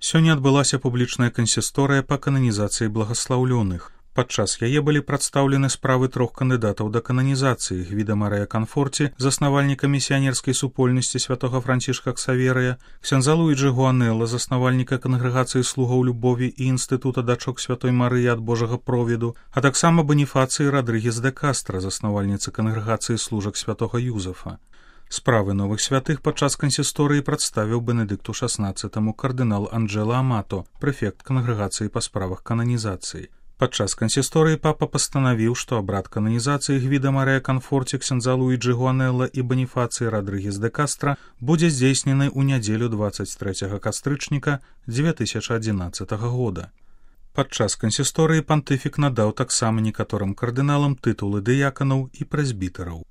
Сёння адбылася публічная кансісторыя па кананізацыі благаслаўлёных. Падчас яе былі прадстаўлены справы 3 кандыдатаў да кананізацыі: Гвіда Марыя Канфорці, заснавальніка місіянерскай супольнасці святога Францішка Ксаверыя, ксяндза Луіджы Гуанелла, заснавальніка кангрэгацыі слугаў любові і інстытута дачок святой Марыі ад Божага провіду, а таксама Баніфацыі Радрыгес де Кастра, заснавальніцы кангрэгацыі служак святога Юзафа. Справы новых святых падчас кансісторыі прадставіў Бенедыкту XVI кардынал Анджела Амато, прэфект кангрэгацыі па справах кананізацыі. Падчас кансісторыі папа пастанавіў, што абрад кананізацыі Гвіда Марыя Канфорці, ксяндза Луіджы Гуанелла і Баніфацыі Радрыгес де Кастра будзе здзейснены ў нядзелю 23 кастрычніка 2011 года. Падчас кансісторыі пантыфік надаў таксама некаторым кардыналам тытулы дыяканаў і прэзбітараў.